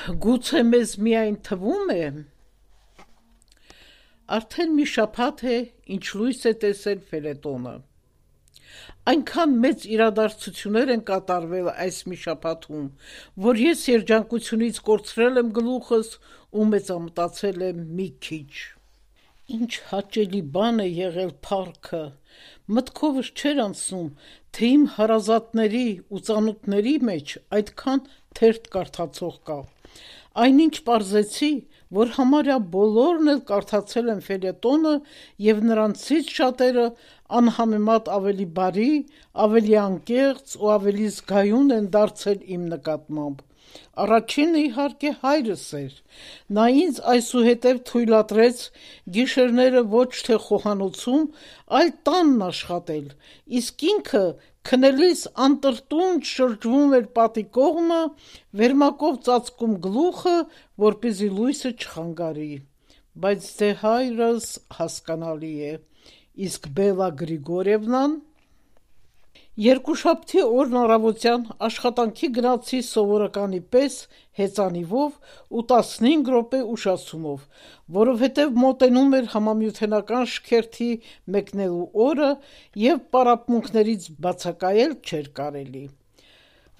Գուցե մեզ միայն թվում է, արդեն մի շաբաթ է, ինչ լույս է տեսել ֆելետոնը։ Այնքան մեծ իրադարձություններ են կատարվել այս մի շաբաթում, որ ես երջանկությունից կորցրել եմ գլուխս ու մեծամտածել եմ մի քիչ։ Ինչ հաճելի բան է եղել փառքը, մտքովս չէր անցնում, թե իմ հարազատների ու ծանոթների մեջ այդքան թերթ կարդացող կա։ Այնինչ պարզեցի, որ համարյա բոլորն էլ կարդացել են ֆելետոնը և նրանցից շատերը անհամեմատ ավելի բարի, ավելի անկեղծ ու ավելի զգայուն են դարձել իմ նկատմամբ։ Առաջինը իհարկե հայրս էր, նա ինձ այսուհետև թույլատրեց գիշերները ոչ թե խոհանոցում, այլ տանն աշխատել, իսկ ինքը քնելիս անտրտունջ շրջվում էր պատի կողմը, վերմակով ծածկում գլուխը, որպեսզի լույսը չխանգարի, բայց դե հայրս հասկանալի է, իսկ Բելլա Գրիգորիևնան… Երկուշաբթի օրն առավոտյան աշխատանքի գնացի սովորականի պես հեծանիվով ու 15 րոպե ուշացումով, որովհետև մոտենում էր համամիութենական շքերթի մեկնելու օրը և պարապմունքներից բացակայել չէր կարելի։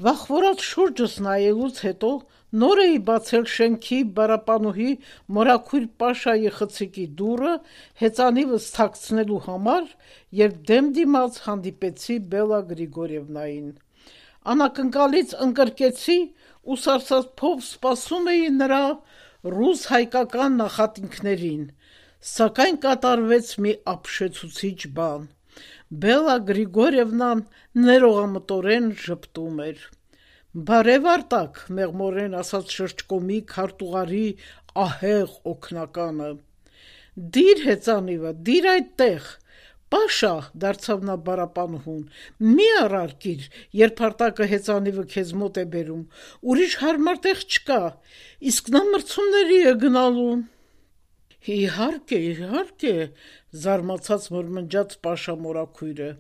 Վախվորած շուրջս նայելուց հետո նոր էի բացել շենքի բարապանուհի մորաքույր Պաշայի խցիկի դուռը հեծանիվս թաքցնելու համար, երբ դեմ դիմաց հանդիպեցի Բելլա Գրիգորիևնային։ Անակնկալից ընկրկեցի ու սարսափով սպասում էի նրա ռուս-հայկական նախատինքներին, սակայն կատարվեց մի ապշեցուցիչ բան. Բելլա Գրիգորիևնան ներողամտորեն ժպտում էր։ «Բարև Արտակ», մեղմորեն ասաց շրջկոմի քարտուղարի ահեղ օգնականը։ «Դիր հեծանիվը, դիր այդտեղ, Պաշա», դարձավ նա բարապանուհուն, «մի առարկիր, երբ Արտակը հեծանիվը քեզ մոտ է բերում, ուրիշ հարմար տեղ չկա, իսկ նա մրցումների է գնալու»։ Իհարկե, զարմացած մրմնջաց Պաշա մորաքույրը։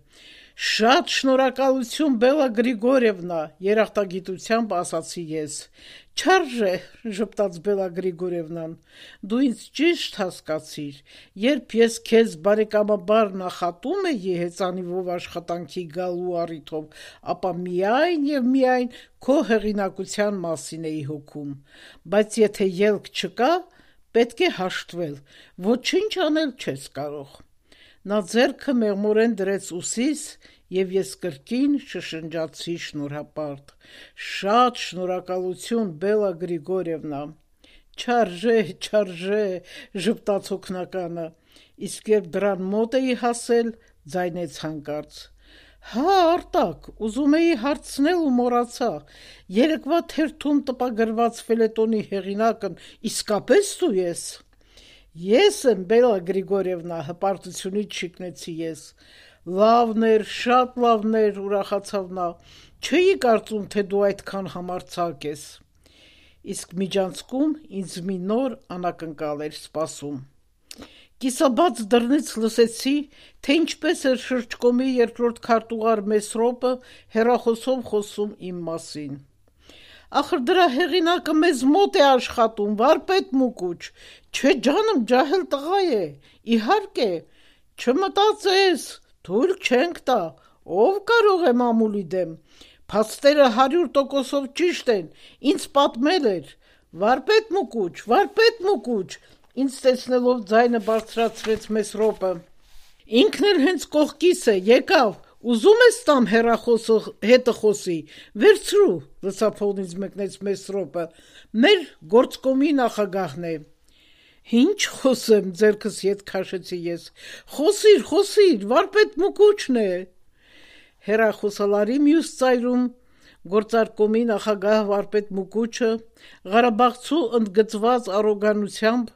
«Շատ շնորհակալություն, Բելլա Գրիգորիևնա», երախտագիտությամբ ասացի ես։ «Չարժե», ժպտաց Բելլա Գրիգորիևնան, «դու ինձ ճիշտ հասկացիր, երբ ես քեզ բարեկամաբար նախատում էի հեծանիվով աշխատանքի գալու առիթով, ապա միայն և միայն քո հեղինակության մասին էի հոգում, բայց եթե ելք չկա, պետք է հաշտվել, ոչինչ անել չես կարող»։ Նա ձեռքը մեղմորեն դրեց ուսիս, և ես կրկին շշնջացի շնորհապարտ. «Շատ շնորհակալություն, Բելլա Գրիգորիևնա»։ Չարժե, ժպտաց օգնականը, իսկ երբ դռան մոտ էի հասել, ձայնեց հանկարծ. «Հա, Արտակ, ուզում էի հարցնել ու մոռացա, երեկվա թերթում տպագրված ֆելետոնի հեղինակն իսկապես դու ես»։ «Ես եմ, Բելլա Գրիգորիևնա», հպարտությունից շիկնեցի ես։ «Լավն էր, շատ լավն էր», ուրախացավ նա, «չէի կարծում, թե դու այդքան համարձակ ես»։ Իսկ միջանցքում ինձ մի նոր անակնկալ էր սպասում։ Կիսաբաց դռնից լսեցի, թե ինչպես էր շրջկոմի երկրորդ քարտուղար Մեսրոպը հեռախոսով խոսում իմ մասին։ «Ախր դրա հեղինակը մեզ մոտ է աշխատում, վարպետ Մուկուչ, չէ ջանմ, ջահել տղա է, իհարկե, չմտածես, թույլ չենք տա, ով կարող է մամուլի դեմ, փաստերը 100%-ով ճիշտ են, ինձ պատմել էր, վարպետ Մուկուչ, ինձ տեսնելով ձայնը բարձրացրեց Մեսրոպը, ինքն էլ հենց կողքիս է, եկավ, ուզում ես տամ հեռախոսը հետը խոսի, վերցրու», լսափողնից մեկնեց Մեսրոպը, «մեր գործկոմի նախագահն է»։ «Ինչ խոսեմ», ձեռքս ետ քաշեցի ես, «Խոսիր, վարպետ Մուկուչն է»։ Հեռախոսալարի մյուս ծայրում գործարկոմի նախագահ վարպետ Մուկուչը ղարաբաղցու ընդգծված առոգանությամբ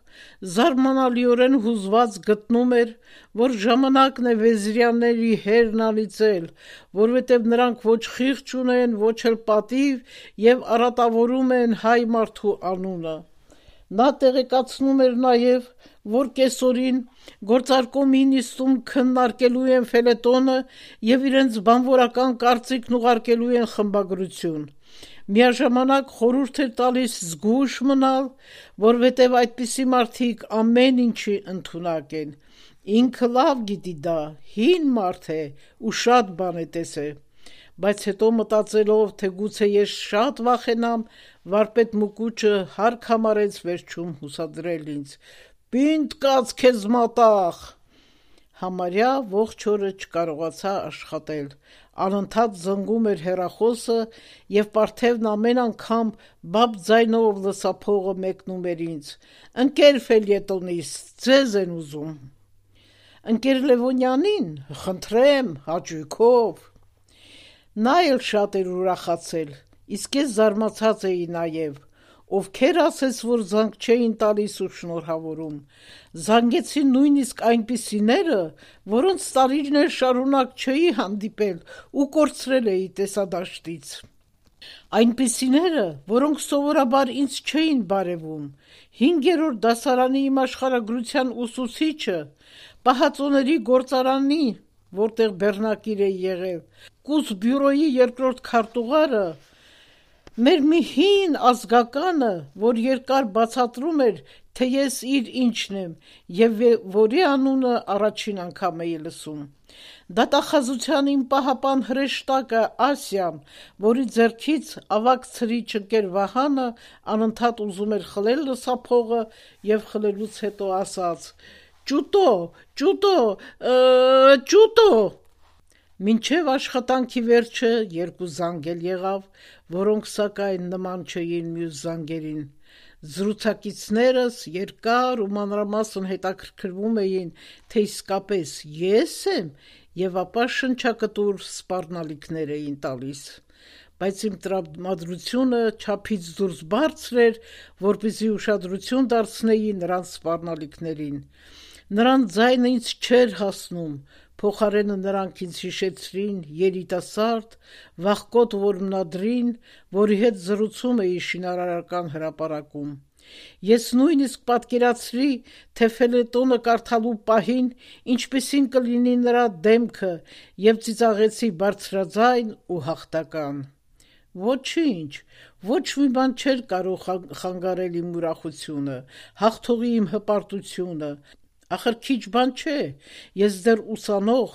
զարմանալիորեն հուզված գտնում էր, որ ժամանակն է Վեզիրյանների հերն անիծել, որովհետև նրանք ոչ խիղճ չունեն, ոչ էլ պատիվ և արատավորում են հայ մարդու անունը։ Նա տեղեկացնում էր նաև, որ կեսօրին գործարկոմի նիստում քննարկելու են ֆելետոնը և իրենց բանվորական կարծիքն ուղարկելու են խմբագրություն։ Միաժամանակ խորհուրդ էր տալիս զգույշ մնալ, որովհետև այդպիսի մարդիկ ամեն ինչի ընդունակ են։ Ինքը լավ գիտի դա, հին մարդ է ու շատ բան է տեսել, բայց հետո մտածելով, թե գուցե ես շատ վախենամ, վարպետ Մուկուչը հարկ համարեց վերջում հուսադրել ինձ. «Պինդ կաց քեզ մատաղ»։ Համարյա ողջ օրը չկարողացա աշխատել, անընդհատ զնգում էր հեռախոսը և Պարթևն ամեն անգամ բաբ ձայնով լսափողը մեկնում էր ինձ. «Ընկեր Ֆելյետոնիս, ձեզ են ուզում»։ Ընկեր Լևոնյանին, խնդրեմ, հաճույքով։ Նա էլ շատ էր ուրախացել, իսկ ես զարմացած էի նաև, ովքեր ասես, որ զանգ չէին տալիս ու շնորհավորում։ Զանգեցին նույնիսկ այնպիսիները, որոնց տարիներ շարունակ չէի հանդիպել ու կորցրել էի տեսադաշտից։ Այնպիսիները, որոնք սովորաբար ինձ չէին բարևում։ 5-րդ դասարանի իմ աշխարհագրության ուսուցիչը, պահածոների գործարանի, որտեղ բեռնակիր էի եղել, կուս բյուրոյի 2-րդ քարտուղարը, մեր մի հին ազգականը, որ երկար բացատրում էր, թե ես իր ինչն եմ և որի անունը առաջին անգամ էի լսում։ Դատախազության իմ պահապան հրեշտակը Ասիան, որի ձեռքից ավագ ցրիչ ընկեր Վահանը անընդհատ ուզում էր խլել լսափողը և խլելուց հետո ասաց. «Ճուտո, ճուտո, ճուտո»։ Մինչև աշխատանքի վերջը 2 զանգ էլ եղավ, որոնք սակայն նման չէին մյուս զանգերին։ Զրուցակիցներս երկար ու մանրամասն հետաքրքրվում էին, թե իսկապես ես եմ, և ապա շնչակտուր սպառնալիքներ էին տալիս։ Բայց իմ տրամադրությունը չափից դուրս բարձր էր, որպեսզի ուշադրություն դարձնեի նրանց սպառնալիքներին։ Նրանց ձայնը ինձ չէր հասնում, փոխարենը նրանք ինձ հիշեցրին երիտասարդ, վախկոտ որմնադրին, որի հետ զրուցում էի շինարարական հրապարակում։ Ես նույնիսկ պատկերացրի, թե ֆելետոնը կարդալու պահին ինչպիսին կլինի նրա դեմքը և ծիծաղեցի բարձրաձայն ու հաղթական։ Ոչինչ, ոչ մի բան չէր կարող խանգարել իմ ուրախությունը, հաղթողի իմ հպարտությունը։ Ախր քիչ բան չէ, ես դեռ ուսանող,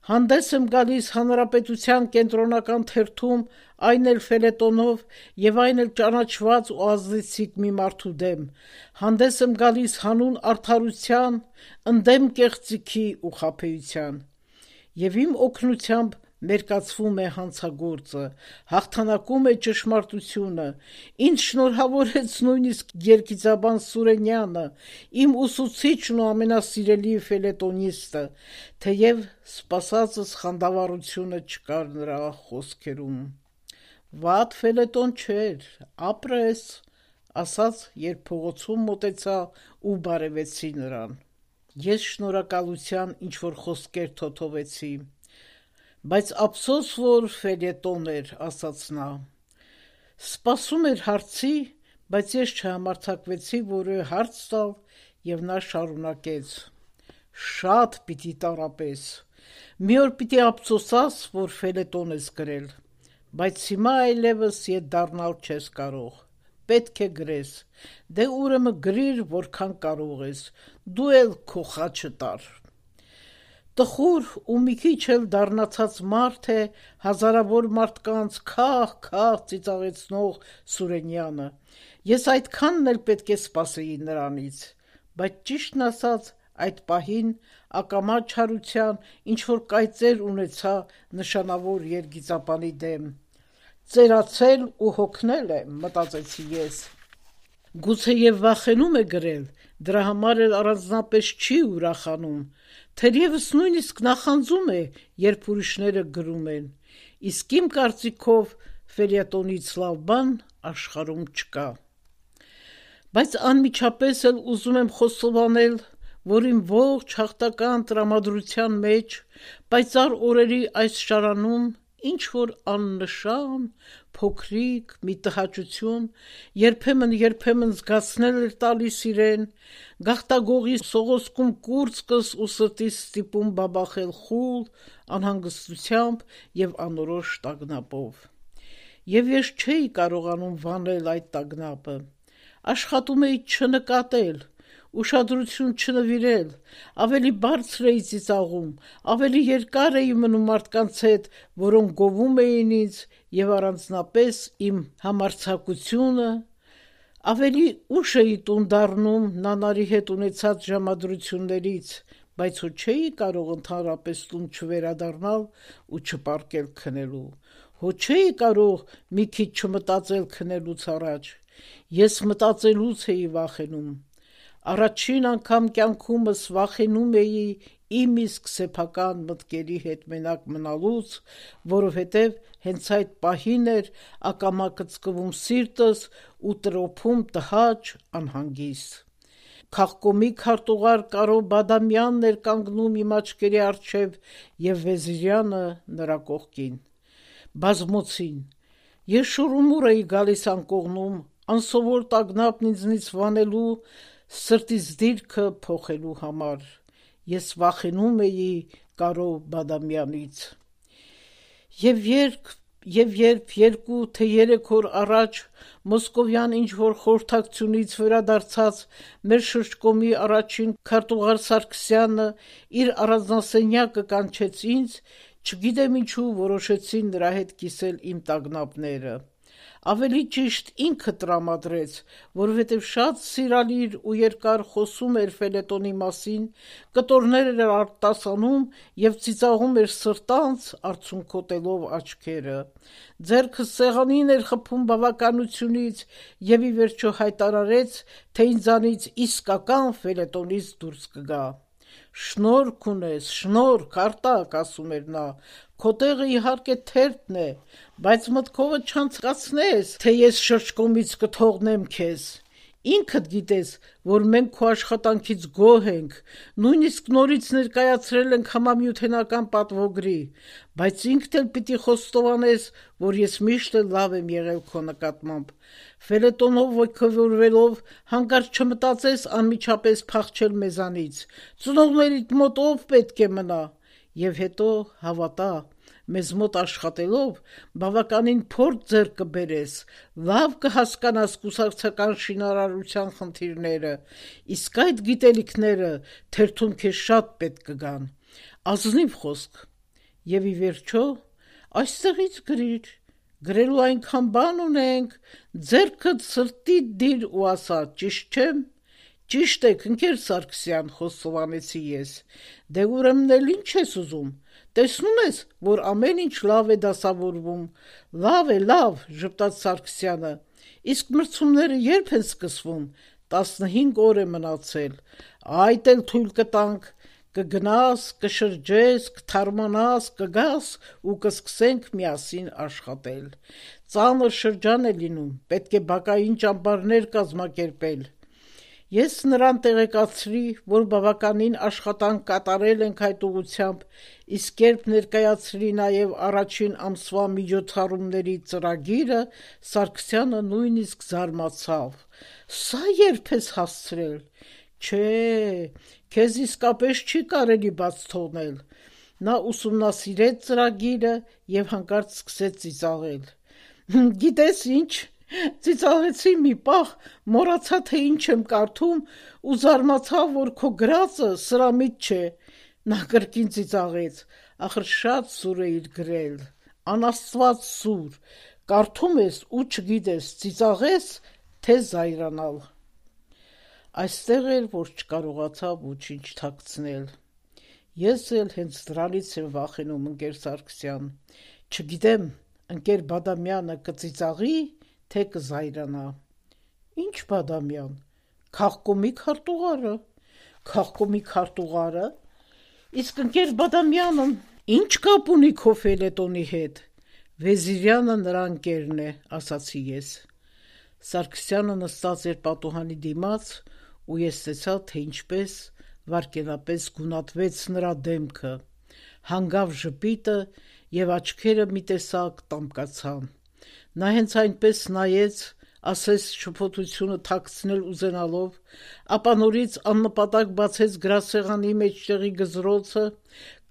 հանդես եմ գալիս Հանրապետության կենտրոնական թերթում, այն էլ ֆելետոնով և այն էլ ճանաչված ու ազդեցիկ մի մարդու դեմ, հանդես եմ գալիս հանուն արդարության, ընդդեմ կեղծիքի ու խաբեության։ Եվ իմ օգնությամբ մերկացվում է հանցագործը, հաղթանակում է ճշմարտությունը, ինձ շնորհավորեց նույնիսկ երգիծաբան Սուրենյանը, իմ ուսուցիչն ու ամենասիրելի ֆելետոնիստը, թեև սպասածս խանդավառությունը չկար նրա խոսքերում։ Վատ ֆելետոն չէր, ապրես, ասաց, երբ փողոցում մոտեցա ու բարևեցի նրան։ Ես շնորհակալության ինչ-որ խոսքեր թոթովեցի։ Բայց ափսոս, որ ֆելետոն էր, ասաց նա։ Սպասում էր հարցի, բայց ես չհամարձակվեցի որևէ հարց տալ, և նա շարունակեց. «Շատ պիտի տառապես։ Մի օր պիտի ափսոսաս, որ ֆելետոն ես գրել, բայց հիմա այլևս ետ դառնալ չես կարող։ Պետք է գրես։ Դե ուրեմն գրիր, որքան կարող ես, դու էլ քո խաչը տար»։ Տխուր ու մի քիչ էլ դառնացած մարդ է հազարավոր մարդկանց քահ-քահ ծիծաղեցնող Սուրենյանը։ Ես այդքանն էլ պետք է սպասեի նրանից։ Բայց ճիշտն ասած, այդ պահին ակամա չարության ինչ-որ կայծեր ունեցա նշանավոր երգիծապանի դեմ։ «Ծերացել ու հոգնել է», մտածեցի ես։ Գուցեև վախենում է գրել, դրա համար էլ առանձնապես չի ուրախանում, թերևս նույնիսկ նախանձում է, երբ ուրիշները գրում են, իսկ իմ կարծիքով ֆելյետոնից լավ բան աշխարհում չկա։ Բայց անմիջապես էլ ուզում եմ խոստովանել, որ իմ ողջ հաղթական տրամադրության մեջ, պայծառ օրերի այս շարանում ինչ-որ աննշան, փոքրիկ մի տհաճություն երբեմն զգացնել էր տալիս իրեն, գաղտագողի սողոսկում կուրծքս ու սրտիս ստիպում բաբախել խուլ, անհանգստությամբ և անորոշ տագնապով։ եւ ես չէի կարողանում վանել այդ տագնապը։ Աշխատում էի չնկատել, ուշադրություն չնվիրել, ավելի բարձր էի ծիծաղում, ավելի երկար էի մնում մարդկանց հետ, որոնք գովում էին ինձ եւ առանձնապես իմ համարձակությունը, ավելի ուշ էի տուն դառնում նանարի հետ ունեցած ժամադրություններից, բայց հո չէի կարող ընդհանրապես տուն չվերադառնալ ու չպառկել քնելու, հո չէի կարող մի քիչ չմտածել քնելուց առաջ, ես մտածելուց էի վախենում, առաջին անգամ կյանքումս վախենում էի իմ իսկ սեփական մտքերի հետ մենակ մնալուց, որովհետև հենց այդ պահին էր ակամա կծկվում սիրտս ու տրոփում տհաճ անհանգիստ։ Քաղկոմի քարտուղար Կարո Բադամյանն էր կանգնում իմ աչքերի առջև եւ Վեզիրյանը նրա կողքին։ Բազմոցին։ Ես շուռումուռ էի գալիս անկողնում, անսովոր տագնապն ինձնից վանելու, սրտից դիրքը փոխելու համար։ Ես վախենում էի Կարո Բադամյանից։ Եվ երբ 2 թե 3 օր առաջ Մոսկովյան ինչ-որ խորհրդակցությունից վերադարձած մեր շրջկոմի առաջին քարտուղար Սարգսյանը իր առանձնասենյակը կանչեց ինձ, չգիտեմ ինչու որոշեցի նրա հետ կիսել իմ տագնապները։ Ավելի ճիշտ ինքը տրամադրեց, որովհետև շատ սիրալիր ու երկար խոսում էր ֆելետոնի մասին, կտորներ էր արտասանում եւ ծիծաղում էր սրտանց, արցունքոտելով աչքերը։ Ձեռքը սեղանին էր խփում բավականությունից եւ ի վերջո հայտարարեց, թե ինձանից իսկական ֆելետոնից դուրս կգա։ Շնորհք ունես, շնորհք, Արտակ, ասում էր նա, քո տեղը իհարկե թերթն է, բայց մտքովդ չանցկացնես, թե ես շրջկոմից կթողնեմ քեզ։ Ինքդ գիտես, որ մենք քո աշխատանքից գոհ ենք, նույնիսկ նորից ներկայացրել ենք համամիութենական պատվոգրի, բայց ինքդ էլ պիտի խոստովանես, որ ես միշտ էլ լավ եմ եղել քո նկատմամբ։ Ֆելետոնով ոգևորվելով հանկարծ չմտածես անմիջապես փախչել մեզանից։ Ծնողներիդ մոտ ով պետք է մնա։ Եվ հետո հավատա, մեզ մոտ աշխատելով բավականին փորձ ձեռք կբերես, լավ կհասկանաս կուսակցական շինարարության խնդիրները, իսկ այդ գիտելիքները թերթում քեզ շատ պետք կգան։ Ազնիվ խոսք։ Եվ ի վերջո, այստեղից գրիր, գրելու այնքան բան ունենք, ձեռքդ սրտիդ դիր ու ասա, ճիշտ չեմ։ Ճիշտ եք, ընկեր Սարգսյան, խոստովանեցի ես։ Դե ուրեմն էլ ինչ ես ուզում։ Տեսնում ես, որ ամեն ինչ լավ է դասավորվում։ Լավ, ժպտաց Սարգսյանը։ Իսկ մրցումները երբ են սկսվում։ 15 օր է մնացել։ Այդ էլ թույլ կտանք։ Կգնաս, կշրջես, կթարմանաս, կգաս ու կսկսենք միասին աշխատել։ Ծանր շրջան է լինում, պետք է բակային ճամբարներ կազմակերպել։ Ես նրան տեղեկացրի, որ բավականին աշխատանք կատարել ենք այդ ուղղությամբ, իսկ երբ ներկայացրի նաև առաջին ամսվա միջոցառումների ծրագիրը, Սարգսյանը նույնիսկ զարմացավ։ Սա երբ ես հասցրել։ Չէ, քեզ իսկապես չի կարելի բաց թողնել։ Նա ուսումնասիրեց ծրագիրը եւ հանկարծ սկսեց ծիծաղել։ Գիտես ինչ, ծիծաղեցի մի պահ, մոռացա թե ինչ եմ կարդում ու զարմացա, որ քո գրածը սրամիտ չէ։ Նա կրկին ծիծաղեց, ախր շատ սուր էիր գրել, անաստված սուր, կարդում ես ու չգիտես ծիծաղես, թե զայրանալ։ Այստեղ էր, որ չկարողացա ոչինչ թաքցնել։ Ես էլ հենց դրանից եմ վախենում, ընկեր Սարգսյան։ Չգիտեմ, ընկեր Բադամյանը կծիծաղի, թե կզայրանա։ Ինչ Բադամյան։ Քաղկոմի քարտուղարը։ Քաղկոմի քարտուղարը։ Իսկ ընկեր Բադամյանը ինչ կապ ունի քո ֆելետոնի հետ։ Վեզիրյանը նրա ընկերն է, ասացի ես։ Սարգսյանը նստած էր պատուհանի դիմաց ու ես տեսա, թե ինչպես վարկենապես գունատվեց նրա դեմքը, հանգավ ժպիտը և աչքերը մի տեսակ տամկացան։ Նա հենց այնպես նայեց, ասես շփոթությունը թաքցնել ուզենալով, ապա նորից աննպատակ բացեց գրասեղանի մեջտեղի գզրոցը,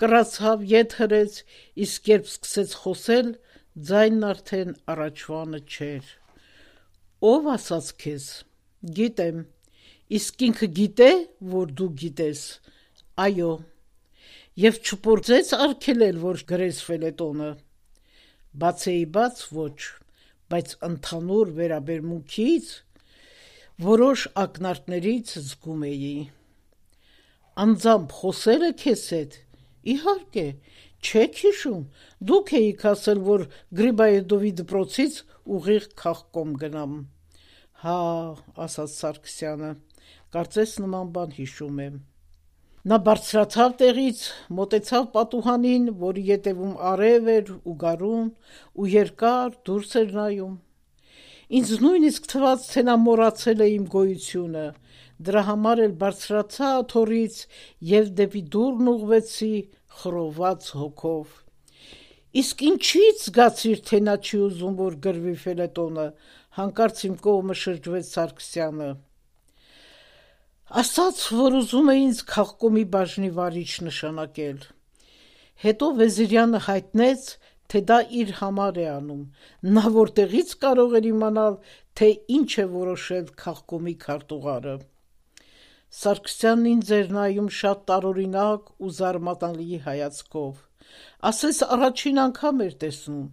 կռացավ, ետ հրեց, իսկ երբ սկսեց խոսել, ձայնն արդեն առաջվանը չէր։ Ով ասաց քեզ։ Գիտեմ։ Իսկ ինքը գիտե, որ դու գիտես։ Այո։ Եվ չփորձեց արգելել, որ գրեսվել է տոնը։ Բացեի բաց ոչ, բայց ընդհանուր վերաբերմունքից որոշ ակնարկներից զգում էի։ Անձամբ խոսել է քեզ հետ։ Իհարկե, չեք հիշում, դուք էիք ասել, որ Գրիբայեդովի դպրոցից ուղիղ քաղկոմ գնամ։ Հա, ասաց Սարգսյանը, կարծես նման բան հիշում եմ։ Նա բարձրացավ տեղից, մոտեցավ պատուհանին, որի ետևում արև էր ու գարուն, ու երկար դուրս էր նայում։ Ինձ նույնիսկ թվաց, թե նա մոռացել է իմ գոյությունը, դրա համար էլ բարձրացա աթոռից և դեպի դուռն ուղղվեցի խռոված հոգով։ Իսկ ինչի՞ց զգացիր, թե նա չի ուզում, որ գրվի ֆելետոնը, հանկարծ իմ կողմը շրջվեց Սարգսյանը։ Ասաց, որ ուզում է ինձ քաղկոմի բաժնի վարիչ նշանակել։ Հետո Վեզիրյանը հայտնեց, թե դա իր համար է անում, նա որտեղից կարող էր իմանալ, թե ինչ է որոշել քաղկոմի քարտուղարը։ Սարգսյանն ինձ էր նայում շատ տարօրինակ ու զարմանալի հայացքով, ասես առաջին անգամ էր տեսնում։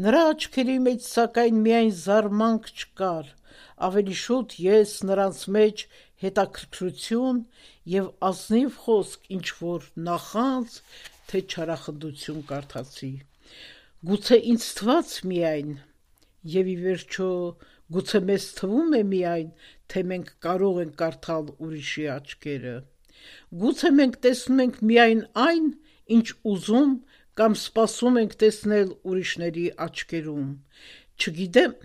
Նրա աչքերի մեջ սակայն միայն զարմանք չկար, ավելի շուտ ես նրանց մեջ հետաքրքրություն և ազնիվ խոսք ինչ-որ նախանձ, թե չարախնդություն կարդացի։ Գուցե ինձ թվաց միայն, և ի վերջո գուցե մեզ թվում է միայն, թե մենք կարող ենք կարդալ ուրիշի աչքերը։ Գուցե մենք տեսնում ենք միայն այն, ինչ ուզում կամ սպասում ենք տեսնել ուրիշների աչքերում։ Չգիտեմ,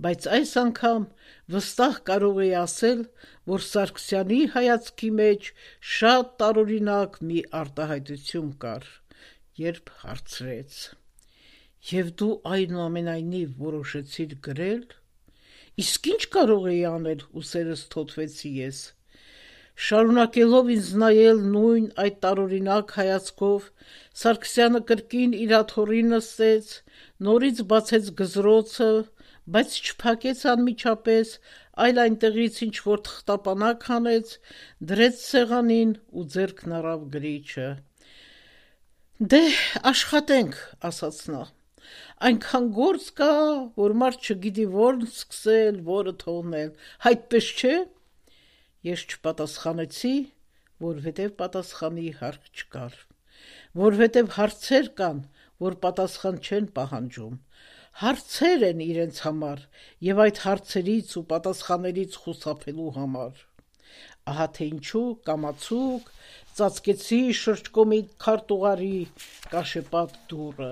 բայց այս անգամ վստահ կարող էի ասել, որ Սարգսյանի հայացքի մեջ շատ տարօրինակ մի արտահայտություն կար, երբ հարցրեց. «Եվ դու այնուամենայնիվ որոշեցիր գրել»։ Իսկ ինչ կարող էի անել, ուսերս թոթվեցի ես։ Շարունակելով ինձ նայել նույն այդ տարօրինակ հայացքով, Սարգսյանը կրկին իր աթոռին նստեց, նորից բացեց գզրոցը, բայց չփակեց անմիջապես, այլ այնտեղից ինչ-որ թղթապանակ հանեց, դրեց սեղանին ու ձեռքն առավ գրիչը։ «Դե, աշխատենք», ասաց նա։ «Այնքան գործ կա, որ մարդ չգիտի որն սկսել, որը թողնել, այդպես չէ»։ Ես չպատասխանեցի, որովհետև պատասխանի հարկ չկար, որովհետև հարցեր կան, որ պատասխան չեն պահանջում, հարցեր են իրենց համար և այդ հարցերից ու պատասխաններից խուսափելու համար։ Ահա թե ինչու կամացուկ ծածկեցի շրջկոմի քարտուղարի կաշեպատ դուռը։